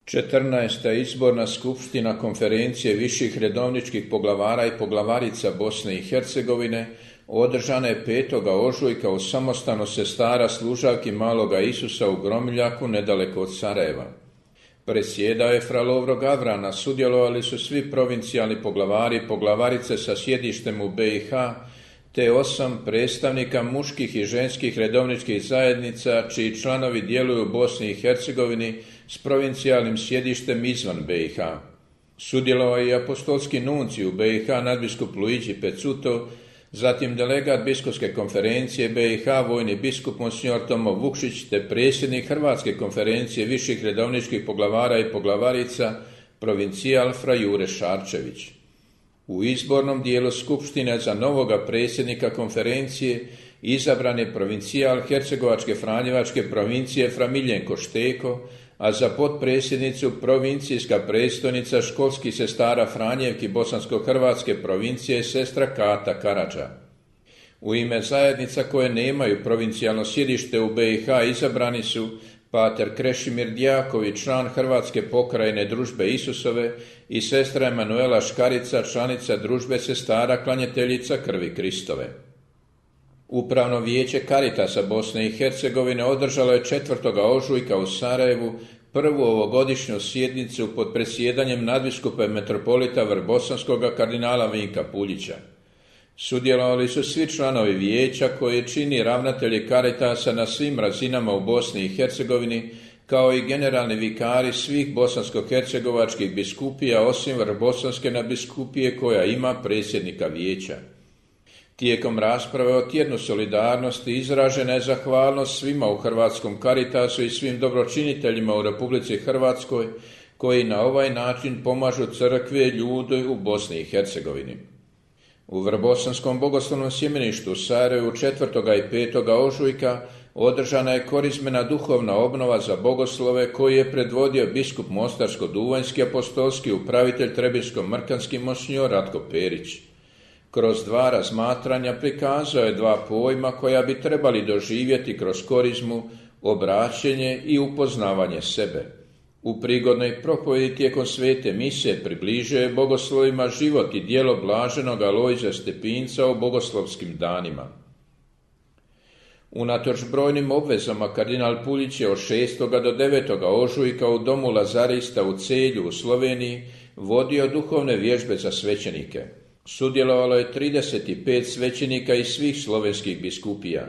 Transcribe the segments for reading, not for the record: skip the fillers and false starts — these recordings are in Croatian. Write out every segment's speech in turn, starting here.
14. izborna skupština Konferencije viših redovničkih poglavara i poglavarica Bosne i Hercegovine održana je 5. ožujka u samostanu sestara služavki Maloga Isusa u Gromiljaku nedaleko od Sarajeva. Predsjedao je fra Lovro Gavrana, sudjelovali su svi provincijalni poglavari i poglavarice sa sjedištem u BiH, te 8 predstavnika muških i ženskih redovničkih zajednica čiji članovi djeluju u Bosni i Hercegovini s provincijalnim sjedištem izvan BiH. Sudjelovao je i apostolski nuncij u BiH nadbiskup Luigi Pezzuto, zatim delegat biskupske konferencije BiH vojni biskup monsignor Tomo Vukšić te predsjednik Hrvatske konferencije viših redovničkih poglavara i poglavarica provincijal fra Jure Šarčević. U izbornom dijelu skupštine za novoga predsjednika konferencije izabran je provincijal Hercegovačke Franjevačke provincije fra Miljenko Šteko, a za potpredsjednicu provincijska predstojnica školskih sestara Franjevki Bosansko-Hrvatske provincije sestra Kata Karadža. U ime zajednica koje nemaju provincijalno sjedište u BiH izabrani su pater Krešimir Djaković, član Hrvatske pokrajine Družbe Isusove, i sestra Emanuela Škarica, članica Družbe sestara klanjateljica Krvi Kristove. Upravno vijeće Karitasa Bosne i Hercegovine održalo je 4. ožujka u Sarajevu prvu ovogodišnju sjednicu pod predsjedanjem nadbiskupa i metropolita Vrbosanskoga kardinala Vinka Puljića. Sudjelovali su svi članovi vijeća koje čini ravnatelji Karitasa na svim razinama u Bosni i Hercegovini, kao i generalni vikari svih bosansko-hercegovačkih biskupija osim Vrbosanske nadbiskupije koja ima predsjednika vijeća. Tijekom rasprave o tjednu solidarnosti izražena je zahvalnost svima u Hrvatskom Karitasu i svim dobročiniteljima u Republici Hrvatskoj koji na ovaj način pomažu crkvi i ljudi u Bosni i Hercegovini. U Vrbosanskom bogoslovnom sjemeništu u Sarajevu 4. i 5. ožujka održana je korizmena duhovna obnova za bogoslove koji je predvodio biskup Mostarsko-duvanjski apostolski upravitelj Trebinsko-mrkanski monsignor Ratko Perić. Kroz 2 razmatranja prikazao je 2 pojma koja bi trebali doživjeti kroz korizmu, obraćenje i upoznavanje sebe. U prigodnoj propovjedi tijekom svete mise približio je bogoslovima život i djelo blaženog Alojzija Stepinca o bogoslovskim danima. Unatoč brojnim obvezama kardinal Puljić je od 6. do 9. ožujka u domu Lazarista u Celju u Sloveniji vodio duhovne vježbe za svećenike. Sudjelovalo je 35 svećenika iz svih slovenskih biskupija.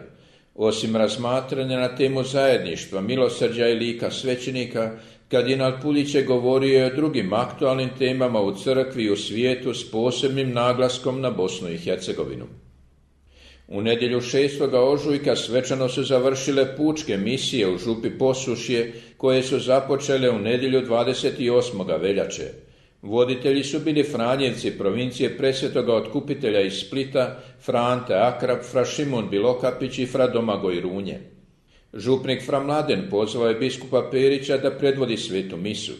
Osim razmatranja na temu zajedništva, milosrđa i lika svećenika, kardinal Puljić je govorio i o drugim aktualnim temama u crkvi i u svijetu s posebnim naglaskom na Bosnu i Hercegovinu. U nedjelju 6. ožujka svečano su završile pučke misije u župi Posušje koje su započele u nedjelju 28. veljače. Voditelji su bili Franjevci provincije Presvetoga Otkupitelja iz Splita, fra Ante Akrap, fra Šimun Bilokapić i fra Domagoj Runje. Župnik fra Mladen pozvao je biskupa Perića da predvodi svetu misu.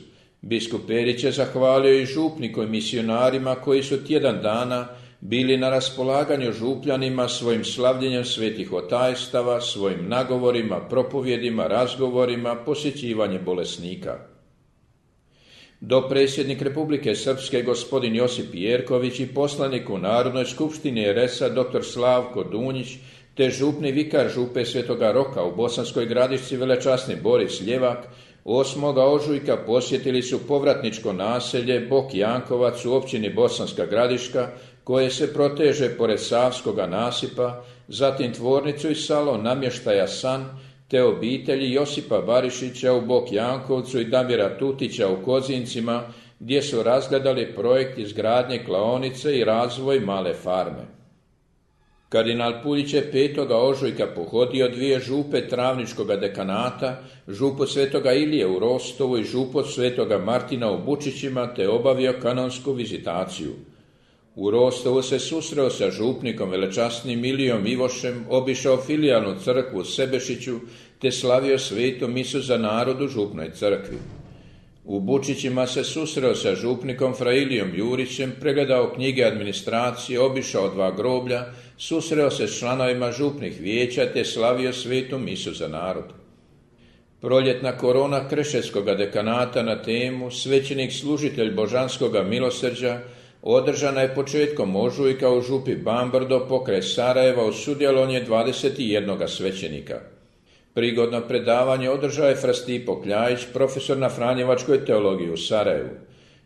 Biskup Perić je zahvalio i župniku i misionarima koji su tjedan dana bili na raspolaganju župljanima svojim slavljenjem svetih otajstava, svojim nagovorima, propovjedima, razgovorima, posjećivanje bolesnika. Dopredsjednik Republike Srpske gospodin Josip Jerković i poslanik u Narodnoj skupštini RS-a dr. Slavko Dunjić te župni vikar župe Svetoga Roka u Bosanskoj Gradišci velečasni Boris Ljevak 8. ožujka posjetili su povratničko naselje Bok Jankovac u općini Bosanska Gradiška koje se proteže pored Savskoga nasipa, zatim tvornicu i salon namještaja San te obitelji Josipa Barišića u Bok Jankovcu i Damira Tutića u Kozincima gdje su razgledali projekt izgradnje klaonice i razvoj male farme. Kardinal Puljić je 5. ožujka pohodio 2 župe Travničkoga dekanata, župu Svetoga Ilije u Rostovu i župu Svetoga Martina u Bučićima te obavio kanonsku vizitaciju. U Rostovu se susreo sa župnikom velečasnim Ilijom Ivošem, obišao filijalnu crkvu u Sebešiću te slavio svetu misu za narod u župnoj crkvi. U Bučićima se susreo sa župnikom fra Ilijom Jurićem, pregledao knjige administracije, obišao 2 groblja, susreo se s članovima župnih vijeća te slavio svetu misu za narod. Proljetna korona Krševskoga dekanata na temu Svećenik služitelj božanskoga milosrđa održana je početkom ožujka u župi Bambrdo pokraj Sarajeva uz sudjelovanje 21 svećenika. Prigodno predavanje održao je fra Stipo Kljajić, profesor na Franjevačkoj teologiji u Sarajevu.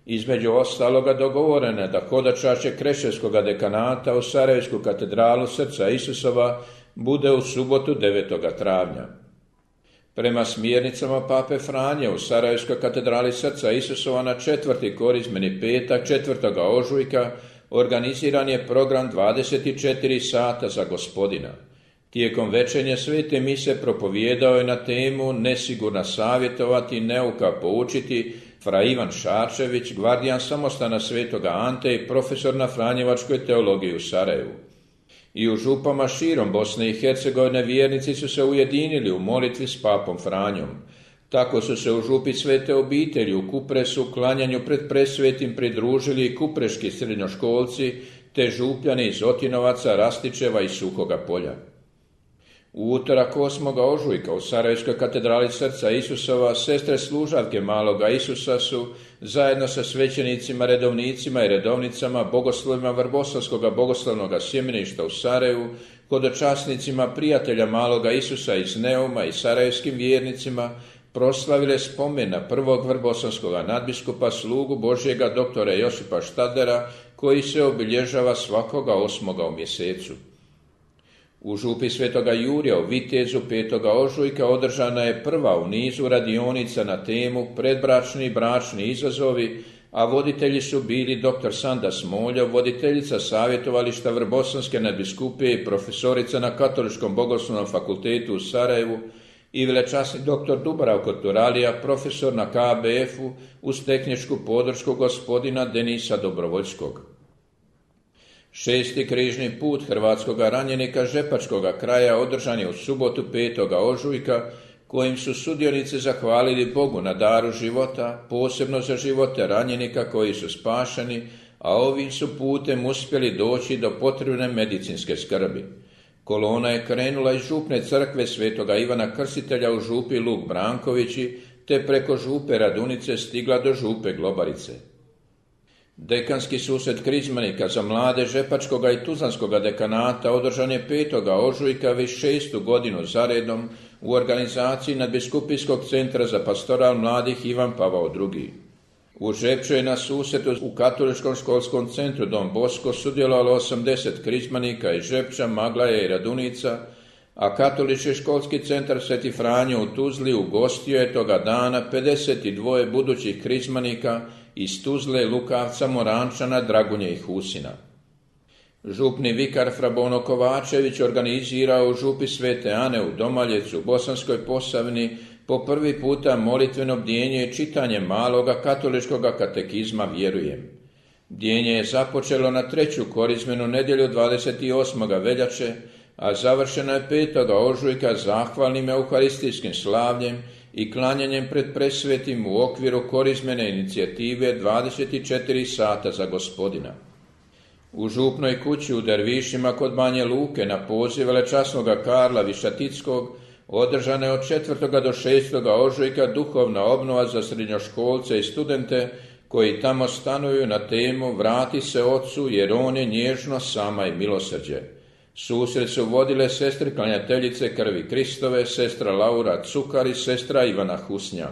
Između ostaloga dogovoreno je da hodočašće Krševskoga dekanata u Sarajevsku katedralu Srca Isusova bude u subotu 9. travnja. Prema smjernicama pape Franje u Sarajevskoj katedrali Srca Isusova na 4. korizmeni petak 4. ožujka organiziran je program 24 sata za Gospodina. Tijekom večernje svete mise propovijedao je na temu Nesigurna savjetovati, neuka poučiti fra Ivan Šarčević, gvardijan samostana Svetoga Ante i profesor na Franjevačkoj teologiji u Sarajevu. I u župama širom Bosne i Hercegovine vjernici su se ujedinili u molitvi s papom Franjom. Tako su se u župi Svete obitelji u Kupresu klanjanju pred presvetim pridružili i kupreški srednjoškolci te župljani iz Otinovaca, Rastičeva i Suhoga Polja. U utorak 8. ožujka u Sarajevskoj katedrali Srca Isusova sestre služavke Maloga Isusa su zajedno sa svećenicima, redovnicima i redovnicama, bogoslovima Vrboslavskoga bogoslovnog sjemeništa u Sarajevu, hodočasnicima prijatelja Maloga Isusa iz Neuma i sarajevskim vjernicima proslavile spomen na prvog vrboslavskog nadbiskupa slugu Božjega doktora Josipa Štadlera, koji se obilježava svakoga 8. u mjesecu. U župi Svetoga Jurija u Vitezu 5. ožujka održana je prva u nizu radionica na temu Predbračni i bračni izazovi, a voditelji su bili dr. Sanda Smoljov, voditeljica savjetovališta Vrbosanske nadbiskupije i profesorica na Katoličkom bogoslovnom fakultetu u Sarajevu i velečasni dr. Dubravko Turalija, profesor na KBF-u uz tehničku podršku gospodina Denisa Dobrovoljskog. 6. križni put hrvatskoga ranjenika Žepačkoga kraja održan je u subotu 5. ožujka, kojim su sudionici zahvalili Bogu na daru života, posebno za živote ranjenika koji su spašeni, a ovim su putem uspjeli doći do potrebne medicinske skrbi. Kolona je krenula iz župne crkve Svetoga Ivana Krstitelja u župi Luk Brankovići, te preko župe Radunice stigla do župe Globarice. Dekanski susret krizmanika za mlade Žepačkoga i Tuzlanskoga dekanata održan je 5. ožujka već 6. godinu zaredom u organizaciji Nadbiskupijskog centra za pastoral mladih Ivan Pavao II. U Žepču je na susretu u Katoličkom školskom centru Don Bosco sudjelovalo 80 krizmanika iz Žepča, Maglaja i Radunica, a Katolički školski centar Sveti Franjo u Tuzli ugostio je toga dana 52 budućih krizmanika iz Tuzle, Lukavca, Morančana, Dragunje i Husina. Župni vikar fra Bono Kovačević organizirao u župi Svete Ane u Domaljecu u Bosanskoj Posavini po prvi puta molitveno bdjenje i čitanje maloga katoličkoga katekizma Vjerujem. Bdjenje je započelo na 3. korizmenu nedjelju 28. veljače, a završeno je 5. ožujka zahvalnim euharistijskim slavljem i klanjanjem pred presvetim u okviru korizmene inicijative 24 sata za Gospodina. U župnoj kući u Dervišima kod Banje Luke na poziv velečasnoga Karla Višatickog održana je od 4. do 6. ožujka duhovna obnova za srednjoškolce i studente koji tamo stanuju na temu Vrati se Otcu jer on je nježno, sama i milosrđe. Susret su vodile sestre klanjateljice krvi Kristove, sestra Laura Cukar i sestra Ivana Husnja.